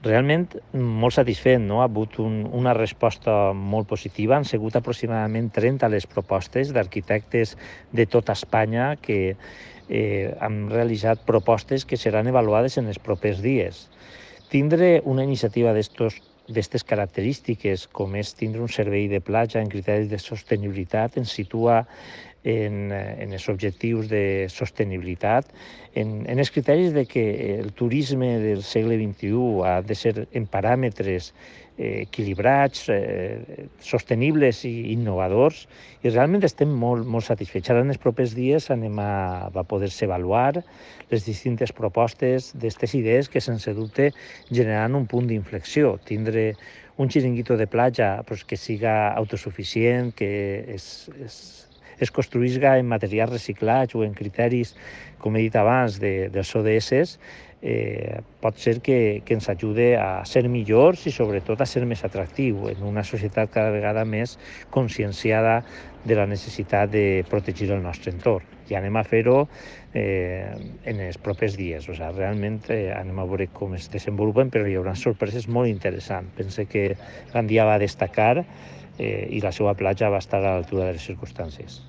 Realment molt satisfet, no? Ha hagut una resposta molt positiva. Han sigut aproximadament 30 les propostes d'arquitectes de tota Espanya que han realitzat propostes que seran avaluades en els propers dies. Tindre una iniciativa d'aquestes característiques, com és tindre un servei de platja en criteris de sostenibilitat, ens situa en els objectius de sostenibilitat, en els criteris de que el turisme del segle XXI ha de ser en paràmetres equilibrats, sostenibles i innovadors, i realment estem molt satisfets. Ara en els propers dies va poder-se avaluar les distintes propostes d'aquestes idees que sense dubte generaran un punt d'inflexió. Tindre un xiringuito de platja que siga autosuficient, que es construïsca en materials reciclats o en criteris, com he dit abans, dels ODS, pot ser que ens ajude a ser millors i sobretot a ser més atractiu en una societat cada vegada més conscienciada de la necessitat de protegir el nostre entorn. I anem a fer-ho en els propers dies. Realment anem a veure com es desenvolupen, però hi haurà sorpreses molt interessants. Pense que Gandia va destacar i la seva platja va estar a l'altura de les circumstàncies.